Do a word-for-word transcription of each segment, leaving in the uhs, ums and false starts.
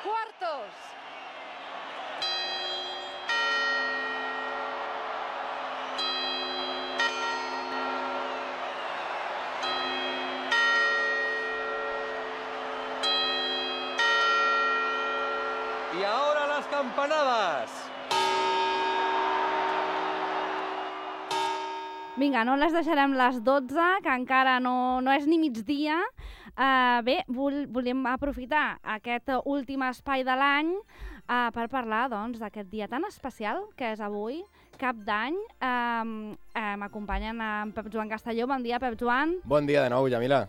cuartos. Y ahora las campanadas. Vinga, no les deixarem les dotze, que encara no, no és ni migdia. Uh, bé, vol, volíem aprofitar aquest últim espai de l'any uh, per parlar doncs, d'aquest dia tan especial que és avui, Cap d'Any. Uh, uh, M'acompanyen en Pep Joan Castelló. Bon dia, Pep Joan. Bon dia de nou, Yamila.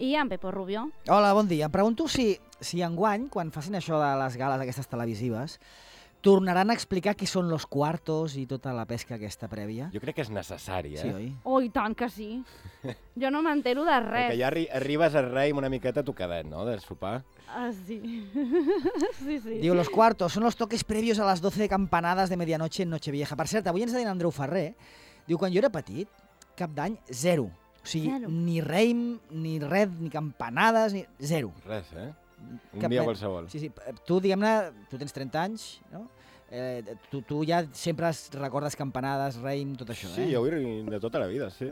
I en Pepo Rubio. Hola, bon dia. Em pregunto si, si enguany, quan facin això de les gales aquestes televisives, tornaran a explicar qui són los cuartos i tota la pesca aquesta prèvia. Jo crec que és necessari, eh? Sí, oi? Oh, i tant que sí. Jo no m'entero de res. Perquè ja arri arribes al rei amb una miqueta tocadet, no?, del sopar. Ah, sí. sí, sí. Diu, los cuartos son los toques previos a las doce campanadas de medianoche en Nochevieja. Per cert, avui ens deia Andreu Ferrer, diu, quan jo era petit, Cap d'Any, zero. O sigui, Zero. ni reim, ni res, ni campanades, ni... zero. Res, eh? Un Cap dia de- qualsevol. Sí, sí. Tu, diguem-ne, tu tens trenta anys, no? Eh, tu, tu ja sempre es recordes campanades, reim, tot això, Sí, eh? jo vull de tota la vida, sí.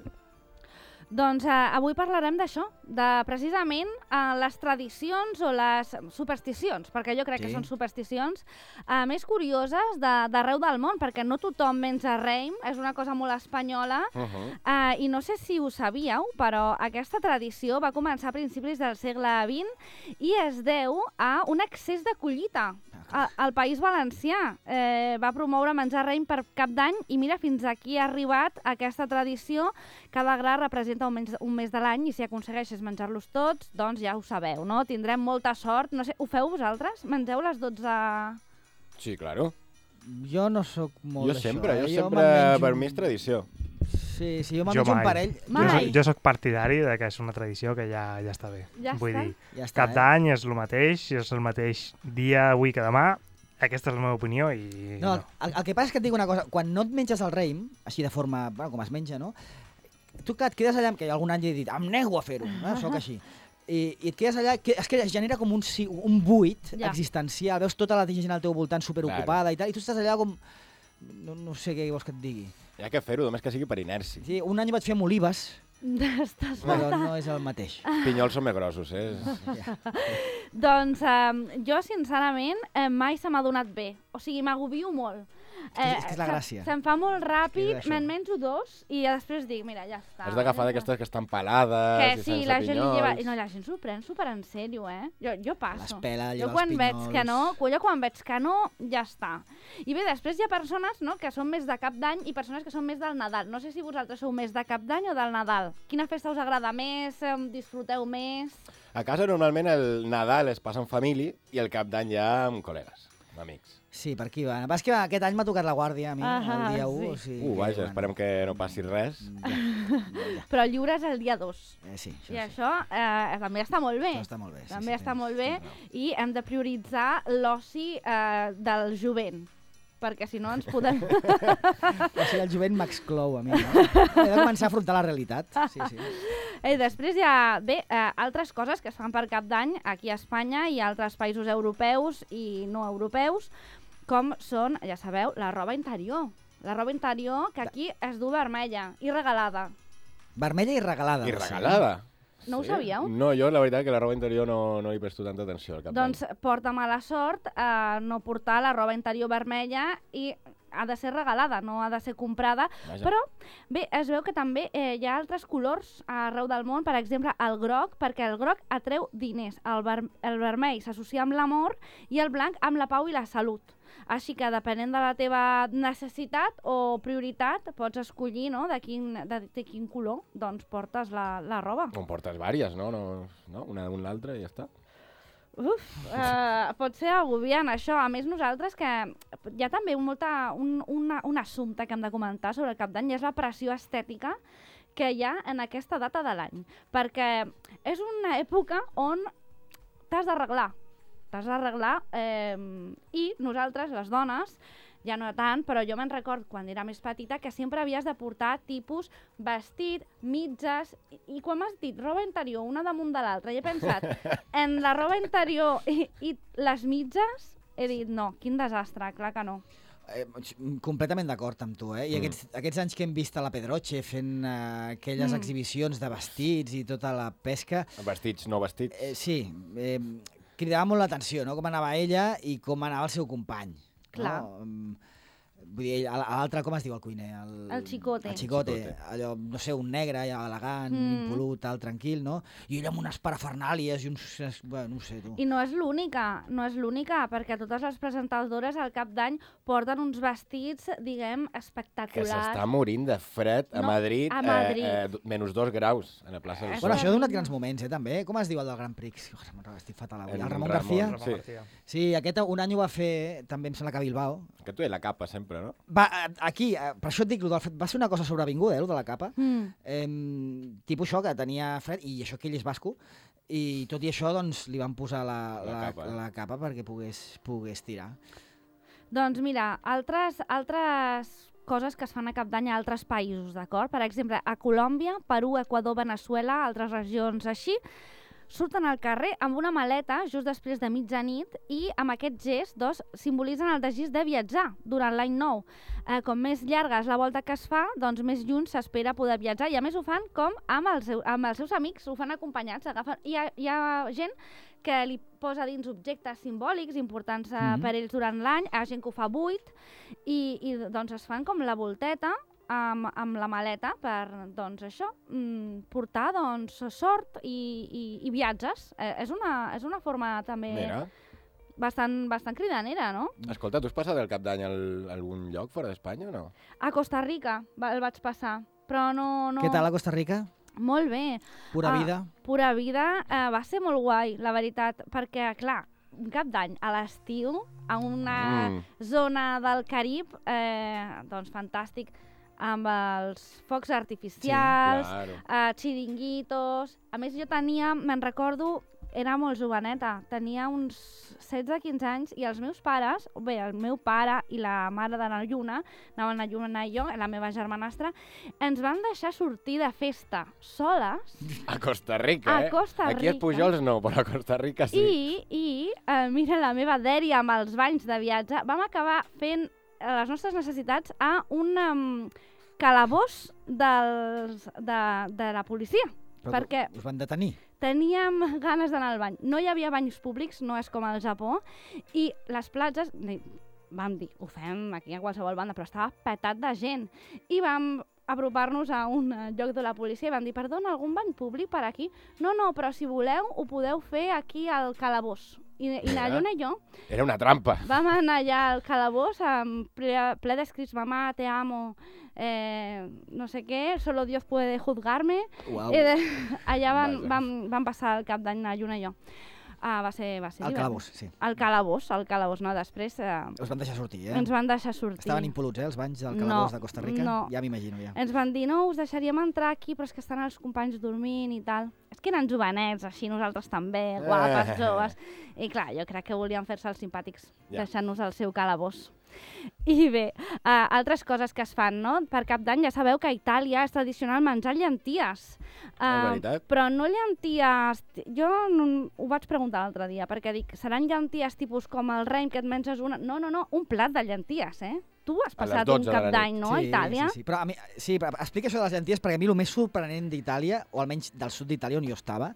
Doncs eh, avui parlarem d'això, de precisament eh, les tradicions o les supersticions, perquè jo crec Sí. que són supersticions eh, més curioses de- d'arreu del món, perquè no tothom menja reim, és una cosa molt espanyola, Uh -huh. eh, i no sé si ho sabíeu, però aquesta tradició va començar a principis del segle vint i es deu a un excés de collita. A, al País Valencià eh, va promoure menjar raïm per Cap d'Any i mira, fins aquí ha arribat aquesta tradició. Cada gra representa un mes, un mes de l'any i si aconsegueixes menjar-los tots, doncs ja ho sabeu, no? Tindrem molta sort. No sé, ho feu vosaltres? Mengeu les dotze... Sí, claro. Jo no sóc molt Jo d'això. sempre, eh? jo me'n sempre, menjo per un- mi és tradició. Sí, sí, jo me'n Jo menjo un mai. parell. Jo, Mai. soc, jo soc partidari de que és una tradició que ja, ja està bé. Ja Vull està. dir, Ja està, Cap eh? d'Any és el mateix, és el mateix dia avui que demà. Aquesta és la meva opinió i... No, el, el que passa és que et dic una cosa, quan no et menges el raïm, així de forma, bueno, com es menja, no? Tu que et quedes allà, que algun any he dit, em nego a fer-ho, no? Soc així. I, I et quedes allà, que, és que es genera com un, si- un buit Ja. existencial, veus tota la gent al teu voltant superocupada i tal, i tu estàs allà com... No, no sé què vols que et digui. Hi ha que fer-ho, només que sigui per inèrcia. Sí, un any vaig fer amb olives, Estàs... però no és el mateix. Pinyols són més grossos, eh? Doncs eh, jo, sincerament, eh, mai se m'ha donat bé. O sigui, m'agobio molt. que és- és que és la se- gràcia. Se'm fa molt És ràpid, això. me'n menjo dos i després dic, mira, ja està. Has d'agafar d'aquestes que estan pelades Que i sí, sense la gent li lleva... pinyols. No, la gent s'ho pren super en sèrio, eh? Jo, jo passo. Les pela, jo lleva quan els veig pinyols. que no, jo quan veig que no, ja està. I bé, després hi ha persones, no?, que són més de Cap d'Any i persones que són més del Nadal. No sé si vosaltres sou més de Cap d'Any o del Nadal. Quina festa us agrada més? Em Disfruteu més? A casa normalment el Nadal es passa en família i el Cap d'Any ja amb col·legues, amb amics. Sí, per aquí va. Vas que aquest any m'ha tocat la guàrdia a mi, Ah, el dia sí. u. O sigui, Uh, que, vaja, bueno, esperem que no passi res. Ja, ja. Però el lliure és el dia dos. Eh, sí, això, I sí. això eh, també està molt bé. Això està molt bé. Sí, També sí, està tens- molt bé tens raó. i hem de prioritzar l'oci eh, del jovent, perquè si no ens podem... O sigui, el jovent m'exclou a mi, no? He de començar a afrontar la realitat. Sí, sí. I després hi ha, bé, eh, altres coses que es fan per Cap d'Any aquí a Espanya i a altres països europeus i no europeus, com són, ja sabeu, la roba interior. La roba interior que aquí es du vermella i regalada. Vermella i regalada. I va ser. regalada. No ho sabíeu? No, jo la veritat que la roba interior no, no hi presto tanta atenció al Cap d'Any. Doncs porta mala sort eh, no portar la roba interior vermella i ha de ser regalada, no ha de ser comprada. Vaja. Però, bé, es veu que també eh, hi ha altres colors arreu del món, per exemple, el groc, perquè el groc atreu diners, el, ver el vermell s'associa amb l'amor i el blanc amb la pau i la salut. Així que, depenent de la teva necessitat o prioritat, pots escollir, no?, de quin, de, de quin color doncs portes la, la roba. En portes vàries, no? no, no? Una d'un l'altra i ja està. Uf, eh, pot ser agobiant això. A més, nosaltres que hi ha també molta, un, una, un assumpte que hem de comentar sobre el Cap d'Any i és la pressió estètica que hi ha en aquesta data de l'any. Perquè és una època on t'has d'arreglar. T'has d'arreglar eh, i nosaltres, les dones, ja no tant, però jo me'n record quan era més petita que sempre havies de portar tipus vestit, mitges, i, i quan m'has dit roba interior una damunt de l'altra, i he pensat en la roba interior i, i les mitges, he dit no, quin desastre, clar que no. Eh, completament d'acord amb tu, eh? I mm. aquests, aquests anys que hem vist a la Pedroche fent uh, aquelles mm. exhibicions de vestits i tota la pesca... Vestits, no vestits. Eh, sí, eh, cridava molt l'atenció, no?, com anava ella i com anava el seu company. Clar. No? Vull dir, a l'altre, com es diu el cuiner? El, el Chicote. El Chicote, allò, no sé, un negre, elegant, mm. impolut, tal, tranquil, no? I ella amb unes parafernàlies i uns... Bueno, no sé, tu. I no és l'única, no és l'única, perquè totes les presentadores al cap d'any porten uns vestits, diguem, espectaculars. Que s'està morint de fred a no, Madrid, a Madrid. Eh, eh, menys dos graus a la plaça del Sol. Bueno, això ha donat grans moments, eh, també. Com es diu el del Gran Prix? Oh, estic fatal avui. El, el Ramon, Ramon García? Sí. Sí, aquest un any ho va fer, també em sembla que a Bilbao. Que tu i la capa sempre, no? Va, aquí, per això et dic, va ser una cosa sobrevinguda, eh, el de la capa. Mm. Eh, tipus això, que tenia fred, i això que ell és basco, i tot i això, doncs, li van posar la, la, la, capa, eh? la capa perquè pogués, pogués tirar. Doncs mira, altres, altres coses que es fan a cap d'any a altres països, d'acord? Per exemple, a Colòmbia, Perú, Equador, Veneçuela, altres regions així, surten al carrer amb una maleta just després de mitjanit i amb aquest gest doncs, simbolitzen el desig de viatjar durant l'any nou. Eh, com més llarga és la volta que es fa, doncs més lluny s'espera poder viatjar. I a més ho fan com amb els, seu, amb els seus amics, ho fan acompanyats. Agafen... Hi, ha, hi ha gent que li posa dins objectes simbòlics importants eh, mm-hmm. per ells durant l'any, hi ha gent que ho fa buit i, i doncs es fan com la volteta Amb, amb la maleta per, doncs, això, mm, portar, doncs, sort i, i, i viatges. Eh, és, una, és una forma també Mira. bastant, bastant cridanera, no? Escolta, tu has passat el cap d'any a algun lloc fora d'Espanya o no? A Costa Rica va, el vaig passar, però no... no... Què tal a Costa Rica? Molt bé. Pura vida? Uh, pura vida. Uh, va ser molt guai, la veritat, perquè, clar, un cap d'any a l'estiu, a una mm. zona del Carib, eh, doncs fantàstic, amb els focs artificials, sí, claro. uh, xiringuitos... A més, jo tenia, me'n recordo, era molt joveneta, tenia uns setze quinze anys i els meus pares, bé, el meu pare i la mare de la Lluna, anaven a Lluna i jo, la meva germanastra, ens van deixar sortir de festa soles. A Costa Rica, a eh? Costa Rica. Aquí a Pujols no, però a Costa Rica sí. I, i uh, mira, la meva dèria amb els banys de viatge, vam acabar fent les nostres necessitats a un um, calabós dels, de, de la policia. Però perquè us van detenir? Teníem ganes d'anar al bany. No hi havia banys públics, no és com al Japó, i les platges, vam dir, ho fem aquí a qualsevol banda, però estava petat de gent. I vam apropar-nos a un lloc de la policia i vam dir, perdona, algun bany públic per aquí? No, no, però si voleu ho podeu fer aquí al calabós. I, i la Lluna i jo... Era una trampa. Vam anar allà al calabós amb ple, ple d'escrits, mamà, te amo, eh, no sé què, solo Dios puede juzgarme. Wow. I de, allà vam, vam, vam passar el cap d'any la Lluna i jo. Ah, va ser, va ser al calabós, sí. Al calabós, al calabós, no? Després... Eh, us van deixar sortir, eh? Ens van deixar sortir. Estaven impoluts, eh, els banys del calabós no, de Costa Rica? No. Ja m'imagino, ja. Ens van dir, no, us deixaríem entrar aquí, però és que estan els companys dormint i tal. És que eren jovenets, així nosaltres també, guapes, joves. I clar, jo crec que volien fer-se els simpàtics, ja. deixant-nos al seu calabós. I bé, uh, altres coses que es fan, no? Per Cap d'Any ja sabeu que a Itàlia és tradicional menjar llenties. Uh, veritat? però no llenties... Jo no, ho vaig preguntar l'altre dia, perquè dic, seran llenties tipus com el Reim, que et menges una... No, no, no, un plat de llenties, eh? Tu has passat un Cap d'Any, no, sí, a Itàlia? Sí, sí. Però a mi, sí, però explica això de les llenties, perquè a mi el més sorprenent d'Itàlia, o almenys del sud d'Itàlia on jo estava,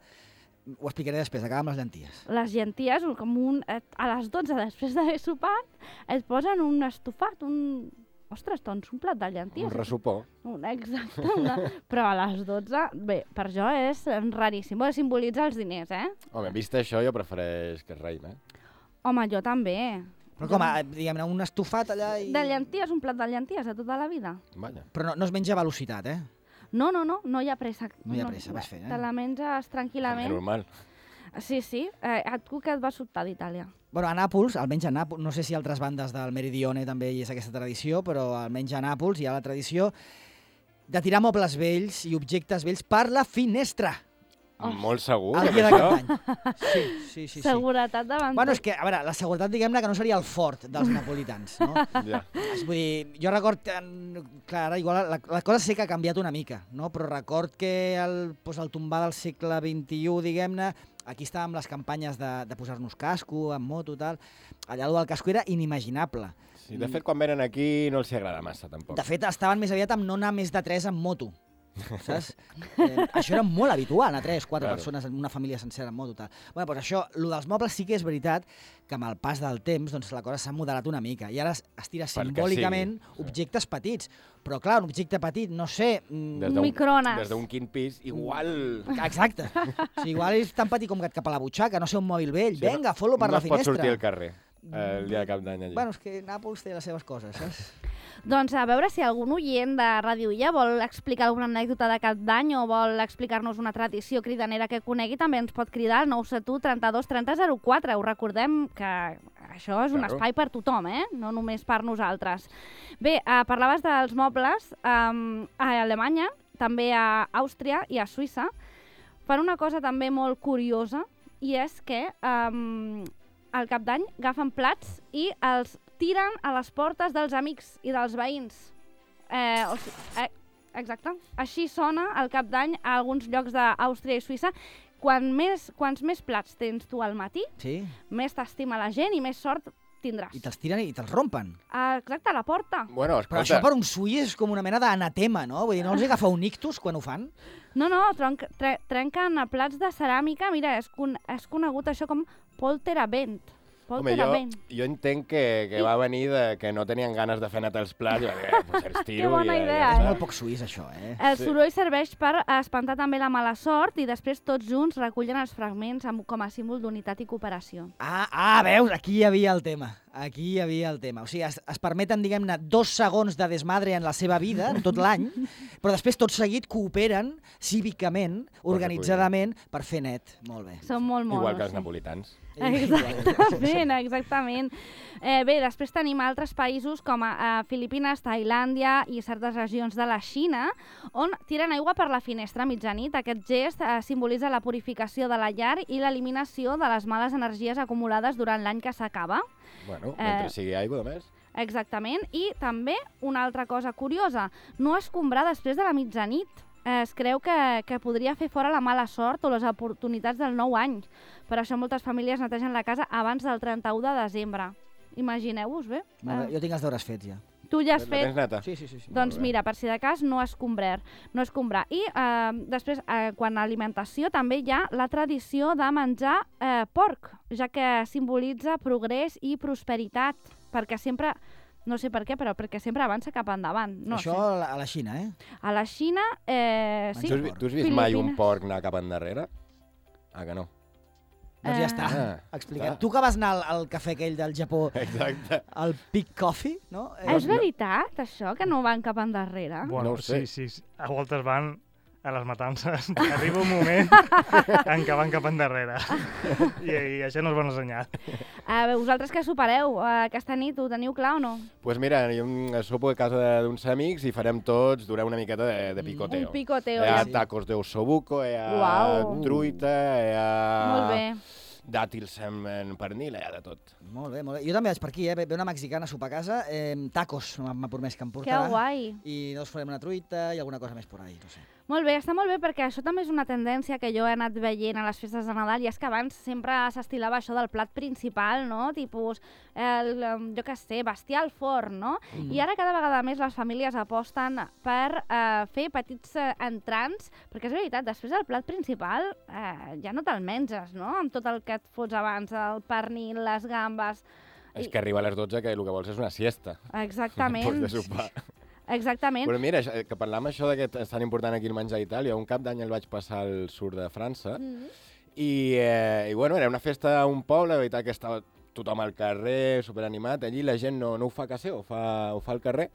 ho explicaré després, acaba amb les llenties. Les llenties, com un, a les dotze després d'haver sopat, es posen un estofat, un... Ostres, doncs un plat de llenties. Un ressupó. Un, exacte. Una... Però a les dotze, bé, per jo és raríssim. Bo, simbolitza els diners, eh? Home, vist això, jo prefereix que es Reim, eh? Home, jo també. Però com, diguem-ne, un estofat allà i... De llenties, un plat de llenties de tota la vida. Vaja. Però no, no es menja a velocitat, eh? No, no, no, no hi ha pressa. No hi ha pressa, no, vas fer, eh? Te la menges tranquil·lament. Normal. Sí, sí. Eh, a tu què et va sobtar d'Itàlia? Bueno, a Nàpols, almenys a Nàpols, no sé si altres bandes del Meridione també hi és aquesta tradició, però almenys a Nàpols hi ha la tradició de tirar mobles vells i objectes vells per la finestra. molt segur. El amb dia de això. Cap d'Any. Sí, sí, sí. sí. Seguretat davant Bueno, tot. és que, a veure, la seguretat, diguem-ne, que no seria el fort dels napolitans, no? Ja. És, vull dir, jo record, en- clar, ara igual la, la cosa sí que ha canviat una mica, no? Però record que el, doncs, el tombar del segle vint-i-u, diguem-ne, aquí estàvem les campanyes de, de posar-nos casco, amb moto, tal. Allà el del casco era inimaginable. Sí, de fet, quan venen aquí no els hi agrada massa, tampoc. De fet, estaven més aviat amb no anar més de tres en moto. Saps? Eh, això era molt habitual, anar tres, quatre Claro. persones en una família sencera en moto. Tal. Bueno, doncs això, el dels mobles sí que és veritat que amb el pas del temps doncs, la cosa s'ha moderat una mica i ara es es tira Perquè simbòlicament sigui, sí. objectes petits. Però clar, un objecte petit, no sé... mm, Des Un d'un- microones. Des d'un quint pis, igual... Exacte. O sigui, igual és tan petit com que et cap a la butxaca, no sé, un mòbil vell. Sí, no- Vinga, fot-lo per no la es pot finestra. sortir al carrer eh, el dia de Cap d'Any allà. Bueno, és que Nàpols té les seves coses, saps? Doncs a veure si algun oient de Ràdio Illa vol explicar alguna anècdota de Cap d'Any o vol explicar-nos una tradició cridanera que conegui, també ens pot cridar al nou set u trenta-dos trenta zero quatre. Us recordem que això és un Claro. espai per tothom, eh? No només per nosaltres. Bé, eh, parlaves dels mobles. Um, a Alemanya, també a Àustria i a Suïssa, fan una cosa també molt curiosa, i és que um, al Cap d'Any agafen plats i els tiren a les portes dels amics i dels veïns. Eh, o sigui, eh, exacte. Així sona el Cap d'Any a alguns llocs d'Àustria i Suïssa. Quan més, quants més plats tens tu al matí, Sí. més t'estima la gent i més sort tindràs. I te'ls tiren i te'ls rompen. Ah, exacte, a la porta. Bueno, Però escolta, això per un suï és com una mena d'anatema, no? Vull dir, no els agafa un ictus quan ho fan? No, no, tronc, tre, trenquen a plats de ceràmica. Mira, és, con, és conegut això com polterabent. home, jo, Polterabent. jo entenc que, que va venir de que no tenien ganes de fer netar els plats i va dir, eh, doncs els tiro. Que bona i, ja- idea, ja És eh? està. molt poc suís, això, eh? El Sí. soroll serveix per espantar també la mala sort i després tots junts recullen els fragments amb, com a símbol d'unitat i cooperació. Ah, ah, veus, aquí hi havia el tema. Aquí hi havia el tema. O sigui, es, es permeten, diguem-ne, dos segons de desmadre en la seva vida, en tot l'any, però després tot seguit cooperen cívicament, organitzadament, per fer net. Molt bé. Són molt monos. Igual que els sí. napolitans. Exactament, exactament. Eh, bé, després tenim altres països com a, a Filipines, Tailàndia i certes regions de la Xina, on tiren aigua per la finestra a mitjanit. Aquest gest eh, simbolitza la purificació de la llar i l'eliminació de les males energies acumulades durant l'any que s'acaba. Bueno, Eh, mentre sigui aigua, només. Exactament. I també una altra cosa curiosa, no escombrar després de la mitjanit. Eh, es creu que, que podria fer fora la mala sort o les oportunitats del nou any. Per això moltes famílies netegen la casa abans del trenta-u de desembre. Imagineu-vos, bé? Molt bé. Eh, Jo tinc els deures fets, ja. tu ja has La tens fet... neta? Sí, sí, sí. sí. Doncs Molt bé. mira, per si de cas, no escombrar. No escombrar. I eh, després, eh, quan a alimentació, també hi ha la tradició de menjar eh, porc, ja que simbolitza progrés i prosperitat, perquè sempre... No sé per què, però perquè sempre avança cap endavant. No Això sé. a la- a la Xina, eh? A la Xina, eh, sí. Tu has, vi- tu has vist mai un Filipines. porc anar cap endarrere? Ah, que no. Doncs ja Eh. està. Ah, Explicat. clar. Tu que vas anar al, al cafè aquell del Japó, Exacte. al Peak Coffee, no? Ah, és veritat, això, que no van cap endarrere? Bueno, No ho sé. sí, sí, sí. A voltes van a les matances. Arriba un moment en què van cap endarrere. I, I això no és bon senyal. A veure, vosaltres què sopareu eh, aquesta nit? Ho teniu clar o no? Doncs pues mira, jo em sopo a casa de- d'uns amics i farem tots durar una miqueta de, de picoteo. Un picoteo. Hi ha ja. sí. tacos de ossobuco, hi ha Uau. truita, hi ha Molt bé. dàtils en, en pernil, hi ha de tot. Molt bé, molt bé. Jo també vaig per aquí, eh? Ve ve una mexicana a sopar a casa, eh, tacos, m'ha m'ha promès que em Que portarà. guai. I doncs farem una truita i alguna cosa més por ahí, no sé. Molt bé, està molt bé perquè això també és una tendència que jo he anat veient a les festes de Nadal i és que abans sempre s'estilava això del plat principal, no? Tipus, el, em, jo què sé, bestiar al forn, no? Mm. I ara cada vegada més les famílies aposten per eh, fer petits eh, entrants, perquè és veritat, després del plat principal eh, ja no te'l menges, no? Amb tot el que et fots abans, el pernil, les gambes... És que arriba a les dotze que el que vols és una siesta. Exactament. Després de sopar. Exactament. Però mira, això- que parlam això de que és tan important aquí el menjar a Itàlia, un cap d'any el vaig passar al sud de França, Mm. i, eh, i bueno, era una festa a un poble, la veritat que estava tothom al carrer, superanimat, allí la gent no, no ho fa a casa seu, ho fa, ho fa al carrer,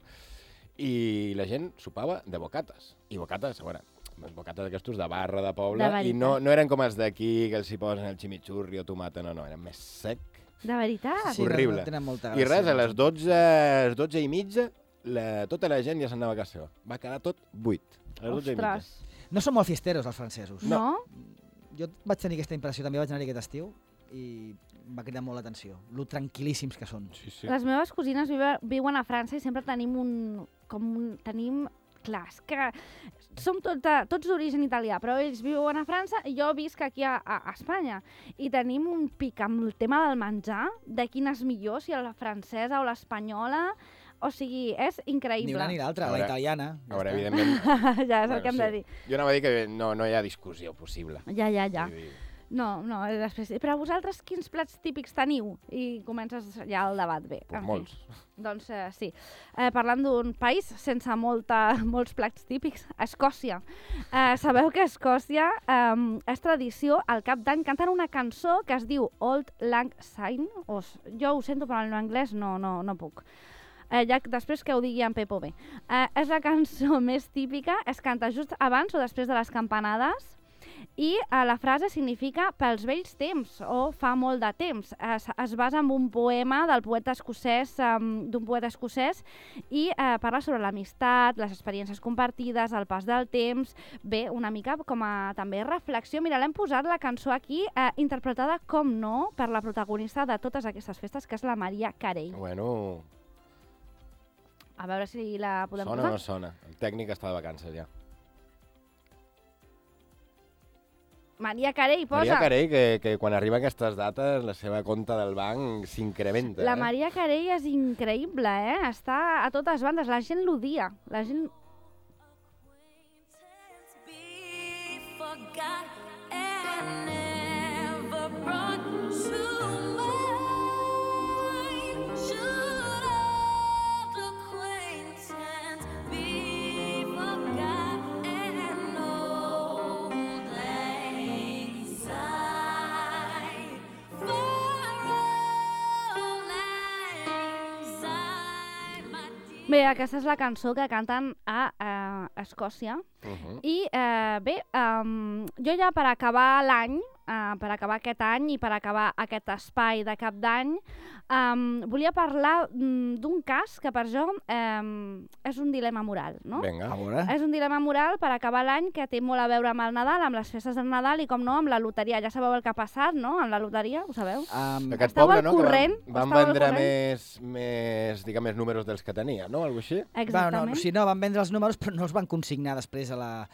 i la gent sopava de bocates. I bocates, a veure, bocates d'aquestos de barra, de poble, De veritat. i no, no eren com els d'aquí, que els hi posen el chimichurri o tomata, no, no, eren més sec. De veritat? Sí, Horrible. no, no tenen molta I gràcia. res, a les dotze, a les dotze i mitja, la, tota la gent ja s'anava a casa seva. Va quedar tot buit. A les dotze i mitja. Ostres. No són molt fiesteros, els francesos. No? jo vaig tenir aquesta impressió, també vaig anar-hi aquest estiu, i em va cridar molt l'atenció, lo tranquil·líssims que són. Sí, sí. Les meves cosines vive, viuen a França i sempre tenim un... Com un tenim... Clar, és que som tot, tots d'origen italià, però ells viuen a França i jo visc aquí a, a, a Espanya. I tenim un pic amb el tema del menjar, de quina és millor, si la francesa o l'espanyola. O sigui, és increïble. Ni una ni l'altra, la Ara- italiana. A veure, evidentment... Ja és el Bueno, que hem sí. de dir. Jo anava a dir que no, no hi ha discussió possible. Ja, ja, ja. Vull dir, No, no, eh, després... Però vosaltres quins plats típics teniu? I comences ja el debat bé. pues en fi. molts. Doncs eh, sí. Eh, parlant d'un país sense molta, molts plats típics, Escòcia. Eh, sabeu que a Escòcia eh, és tradició, al cap d'any canten una cançó que es diu Old Lang Syne. O, s- jo ho sento, però en anglès no, no, no puc. Eh, ja després que ho digui en Pepo bé. Eh, és la cançó més típica, es canta just abans o després de les campanades, i eh, la frase significa pels vells temps o fa molt de temps. Es, es basa en un poema del poeta escocès, um, d'un poeta escocès, i eh, parla sobre l'amistat, les experiències compartides, el pas del temps. Bé, una mica com a també reflexió. Mira, l'hem posat la cançó aquí, eh, interpretada, com no, per la protagonista de totes aquestes festes, que és la Maria Carey. Bueno, A veure si la podem sona o posar. no sona? El tècnic està de vacances ja. Maria Carey, posa. Maria Carey, que, que quan arriba a aquestes dates, la seva compte del banc s'incrementa. La eh? Maria Carey és increïble, eh? Està a totes bandes, la gent l'odia. La gent... Be forgot and never brought to mind. Should old acquaintance be forgot and old lang syne for old lang syne, my dear. Bé, aquesta és la cançó que canten a eh, Escòcia. Uh -huh. I eh, bé, um, jo ja per acabar l'any, uh, per acabar aquest any i per acabar aquest espai de cap d'any, um, volia parlar mm, d'un cas que per jo um, és un dilema moral, no? Vinga. A veure. És un dilema moral per acabar l'any que té molt a veure amb el Nadal, amb les festes del Nadal i, com no, amb la loteria. Ja sabeu el que ha passat, no?, amb la loteria, ho sabeu? Um, Aquest Esteu poble, al no? Que corrent? van, van Esteu al vendre corrent? més, més, diguem, més números dels que tenia, no? Algo així? bueno, no, Exactament. si no, van vendre els números, però no els van consignar després a la,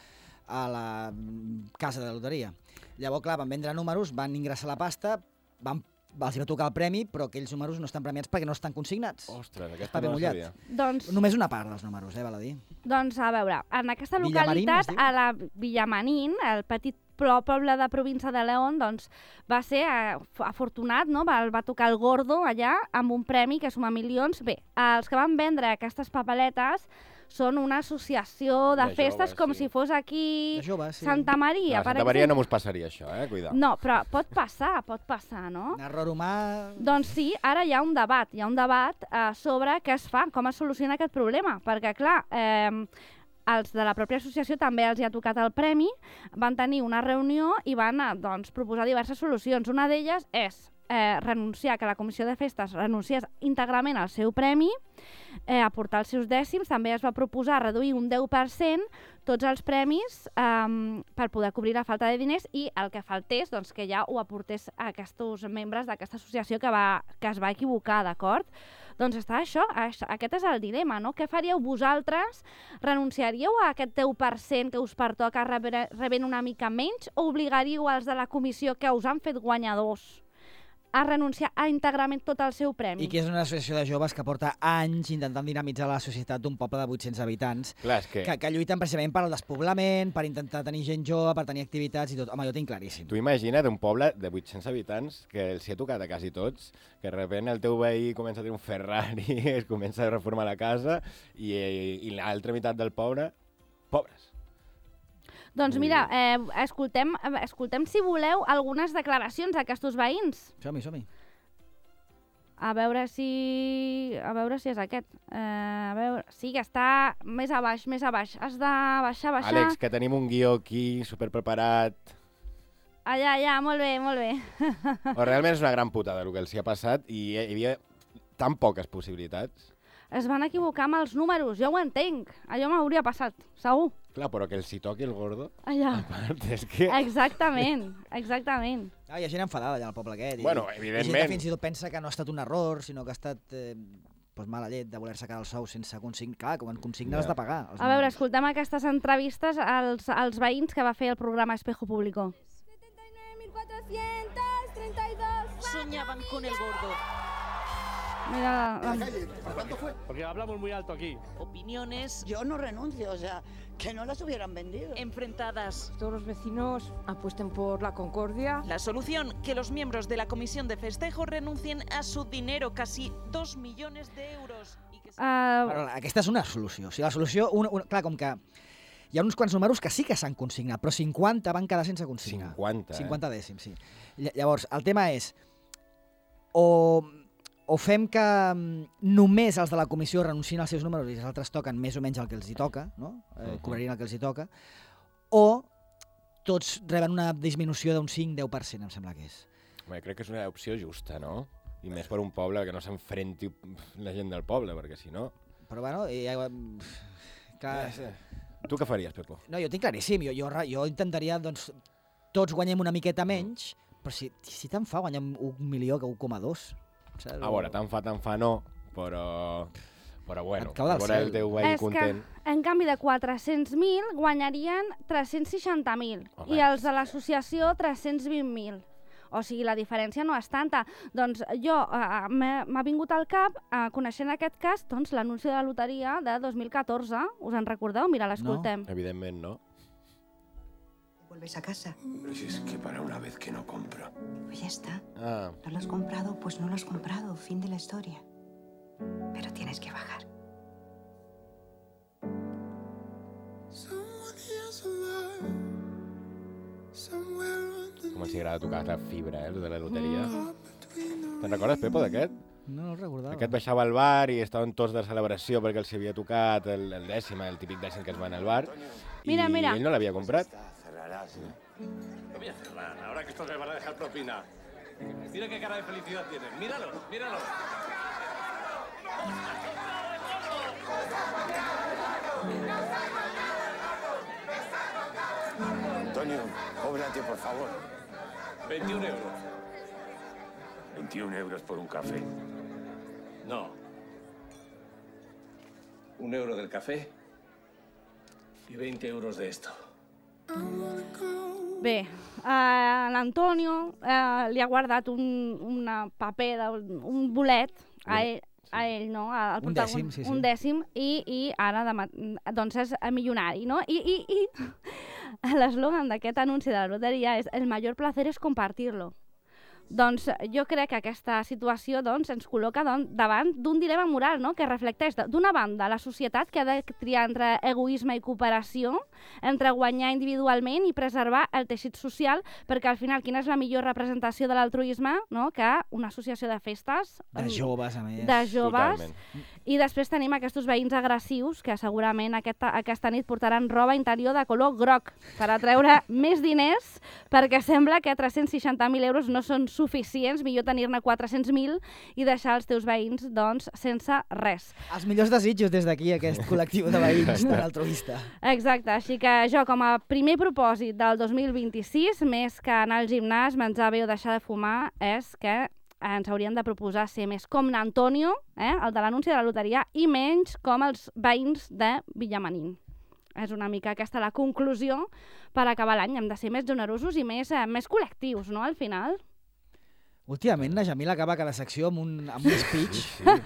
a la mm, casa de la loteria. Llavors, clar, van vendre números, van ingressar la pasta, van, els hi va tocar el premi, però aquells números no estan premiats perquè no estan consignats. Ostres, aquesta Paper no la mullat. sabia. Doncs, Només una part dels números, eh, val a dir. doncs, a veure, en aquesta Villamarín, localitat, es diu? a la Villamarín, el petit pro- poble de província de León, doncs, va ser eh, afortunat, no? Va, va tocar el gordo allà amb un premi que suma milions. Bé, els que van vendre aquestes papeletes són una associació de, De festes joves, com sí. si fos aquí De joves, sí. Santa Maria, No, a per Santa Maria no exemple. mos passaria això, eh? Cuidao. No, però pot passar, pot passar, no? Un error humà... Doncs sí, ara hi ha un debat, hi ha un debat eh, sobre què es fa, com es soluciona aquest problema, perquè clar, eh, els de la pròpia associació també els hi ha tocat el premi, van tenir una reunió i van eh, doncs, proposar diverses solucions. Una d'elles és eh, renunciar, que la comissió de festes renunciés íntegrament al seu premi, eh, aportar els seus dècims. També es va proposar reduir un deu per cent tots els premis eh, per poder cobrir la falta de diners, i el que faltés, doncs, que ja ho aportés a aquests membres d'aquesta associació que, va, que es va equivocar, d'acord? Doncs està això, això, aquest és el dilema, no? Què faríeu vosaltres? Renunciaríeu a aquest deu per cent que us pertoca rebent una mica menys, o obligaríeu els de la comissió que us han fet guanyadors a renunciar a íntegrament tot el seu premi? I que és una associació de joves que porta anys intentant dinamitzar la societat d'un poble de vuit-cents habitants, Clar, és que que, que lluiten precisament per al despoblament, per intentar tenir gent jove, per tenir activitats i tot. Home, jo ho tinc claríssim. tu imagina't un poble de vuit-cents habitants que els hi ha tocat a quasi tots, que de sobte el teu veí comença a tenir un Ferrari, es comença a reformar la casa i, i, i l'altra meitat del poble, pobres. Doncs mira, eh, escoltem, eh, escoltem, si voleu, algunes declaracions d'aquests veïns. Som-hi, som-hi. A veure si... A veure si és aquest. Eh, a veure... Sí, que està més a baix, més a baix. Has de baixar, baixar. Àlex, que tenim un guió aquí superpreparat. Allà, allà, molt bé, molt bé. O realment és una gran putada el que els hi ha passat i hi havia tan poques possibilitats. es van equivocar amb els números, jo ho entenc, allò m'hauria passat, segur. Clar, però que el si toqui el gordo, Allà. a part, és que... Exactament, exactament. Ah, hi ha gent enfadada allà al poble aquest. I, Bueno, i gent evidentment. que fins i tot pensa que no ha estat un error, sinó que ha estat eh, pues, mala llet de voler-se quedar el sou sense consignar. Clar, quan consigna Ja. has de pagar. els A veure, números. escoltem aquestes entrevistes als, als veïns que va fer el programa Espejo Público. setenta y nueve mil cuatrocientos treinta y dos. Soñaban con el gordo. Mira, la, Porque hablamos muy alto aquí. Opiniones Yo no renuncio, o sea, que no las hubieran vendido. enfrentadas. Todos los vecinos apuesten por la concordia. La solución, que los miembros de la comisión de festejo renuncien a su dinero, casi dos millones de euros. Y que se- uh, Però aquesta és una solució. O sigui, la solució, una, una, clar, com que hi ha uns quants números que sí que s'han consignat, però cinquanta van quedar sense consignar. cinquanta, eh? cinquanta dècims, sí. Ll- Llavors, el tema és, o, o fem que mm, només els de la comissió renuncien als seus números i els altres toquen més o menys el que els hi toca, no? Eh, Mhm. cobrarien el que els hi toca, o tots reben una disminució d'un cinc a deu per cent, em sembla que és. Home, crec que és una opció justa, no? I més per un poble que no s'enfrenti la gent del poble, perquè si no... Però bueno, i, eh, clar, Tu què faries, Pepo? no, jo tinc claríssim, jo, jo, jo intentaria, doncs, tots guanyem una miqueta menys, però si, si tant fa guanyem un milió que un coma dos. Saps? A veure, tant fa, tant fa no, però... Però bueno, Et cau del veure el cel. teu veí és que, content... en canvi de quatre-cents mil, guanyarien tres-cents seixanta mil Home. i els de l'associació tres-cents vint mil. O sigui, la diferència no és tanta. Doncs jo, uh, m'ha vingut al cap, uh, coneixent aquest cas, doncs l'anunci de la loteria de dos mil catorze. Us en recordeu? Mira, l'escoltem. Evidentment, no? Vuelves a casa. Pero si es que para una vez que no compro. Pues ya está. Ah, ¿No lo has comprado? Pues no lo has comprado. Fin de la historia. Pero tienes que bajar. com els agrada tocar la fibra, eh, els de la loteria. Te'n recordes, Pepo, d'aquest? No, no el recordava. Aquest baixava al bar i estaven tots de celebració perquè els havia tocat el, el dècim, el típic dècim que es va al bar. Mira, I mira. ell no l'havia comprat. Cerrarás, ¿no? No voy a cerrar, ahora que estos me van a dejar propina. Mira qué cara de felicidad tienen. Míralo, míralo. Antonio, cóbrate, por favor. veintiún euros. veintiún euros por un café. No. Un euro del café y veinte euros de esto. Bé, uh, l'Antonio uh, li ha guardat un una paper, de, un bolet a ell, a ell, no? Al Un protagon- dècim, sí, sí. Un dècim, i, i ara demà, doncs és milionari, no? I, i, i l'eslògan d'aquest anunci de la loteria és «El major placer es compartirlo». Doncs jo crec que aquesta situació doncs, ens col·loca doncs, davant d'un dilema moral, no? Que reflecteix, d'una banda, la societat que ha de triar entre egoisme i cooperació, entre guanyar individualment i preservar el teixit social, perquè al final quina és la millor representació de l'altruisme, no? Que una associació de festes... De joves, a més. De joves. Totalment. I després tenim aquests veïns agressius que segurament aquesta, aquesta nit portaran roba interior de color groc per atreure més diners, perquè sembla que tres-cents seixanta mil euros no són suficients, millor tenir-ne quatre-cents mil i deixar els teus veïns doncs, sense res. Els millors desitjos des d'aquí, aquest col·lectiu de veïns tan altruista. Exacte, així que jo com a primer propòsit del dos mil vint-i-sis, més que anar al gimnàs, menjar bé o deixar de fumar, és que ens haurien de proposar ser més com n'Antonio, eh, el de l'anunci de la loteria, i menys com els veïns de Villamanín. És una mica aquesta la conclusió per acabar l'any. Hem de ser més generosos i més, eh, més col·lectius, no?, al final. Últimament la Jamila acaba cada secció amb un, amb un speech,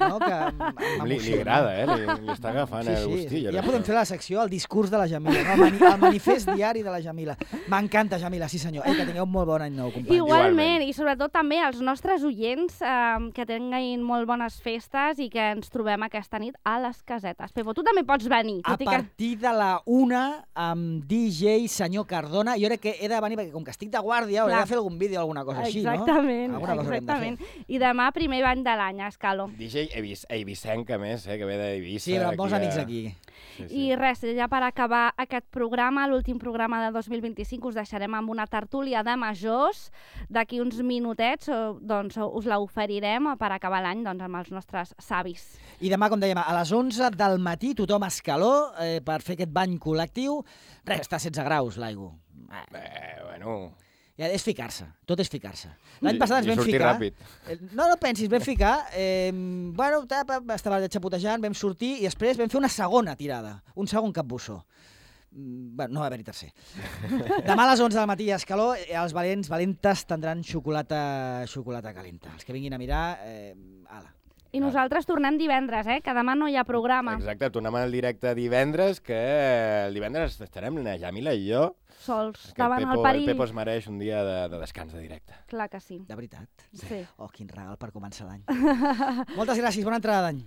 no? Que m- Li, li m'emociona. agrada, eh? Li, li està agafant Sí, el sí, gustillo. ja podem fer la secció, el discurs de la Jamila, no? el, mani el manifest diari de la Jamila. M'encanta, Jamila, sí senyor. Ei, que tingueu un molt bon any nou, companys. Igualment, Igualment. i sobretot també als nostres oients eh, que tinguin molt bones festes i que ens trobem aquesta nit a les casetes. Pepo, tu també pots venir, A tot i que... partir de la una amb D J senyor Cardona, jo crec que he de venir perquè com que estic de guàrdia hauré Clar. de fer algun vídeo o alguna cosa així, no? Exactament. Alguna una cosa que hem de fer. Exactament. I demà, primer bany de l'any, a Escalo. D J Evis, Eivissenc, a més, eh, que ve d'Eivissa. Sí, però molts aquí amics a- aquí. Sí, sí. I res, ja per acabar aquest programa, l'últim programa de dos mil vint-i-cinc, us deixarem amb una tertúlia de majors. D'aquí uns minutets eh, doncs, us la oferirem per acabar l'any doncs, amb els nostres savis. I demà, com dèiem, a les onze del matí, tothom a Escaló, eh, per fer aquest bany col·lectiu. Res, està a setze graus l'aigua. Eh, bueno... Ja és ficar-se, tot és ficar-se. L'any passat ens I vam sortir ficar... ràpid. Eh, No, no pensis, vam ficar... Eh, bueno, tapa, estava xapotejant, vam sortir i després vam fer una segona tirada, un segon capbussó. Mm, Bueno, no va haver-hi tercer. Demà a les onze del matí a Escaló, eh, els valents, valentes tindran xocolata, xocolata calenta. Els que vinguin a mirar, eh, ala. I nosaltres tornem divendres, eh? que demà no hi ha programa. Exacte, tornem al directe divendres, que el divendres estarem la Yamila i jo. Sols, Que davant el el Pepo, perill. el Pepo es mereix un dia de, de descans de directe. Clar que sí. De veritat? Sí. Oh, quin regal per començar l'any. Moltes gràcies, bona entrada d'any.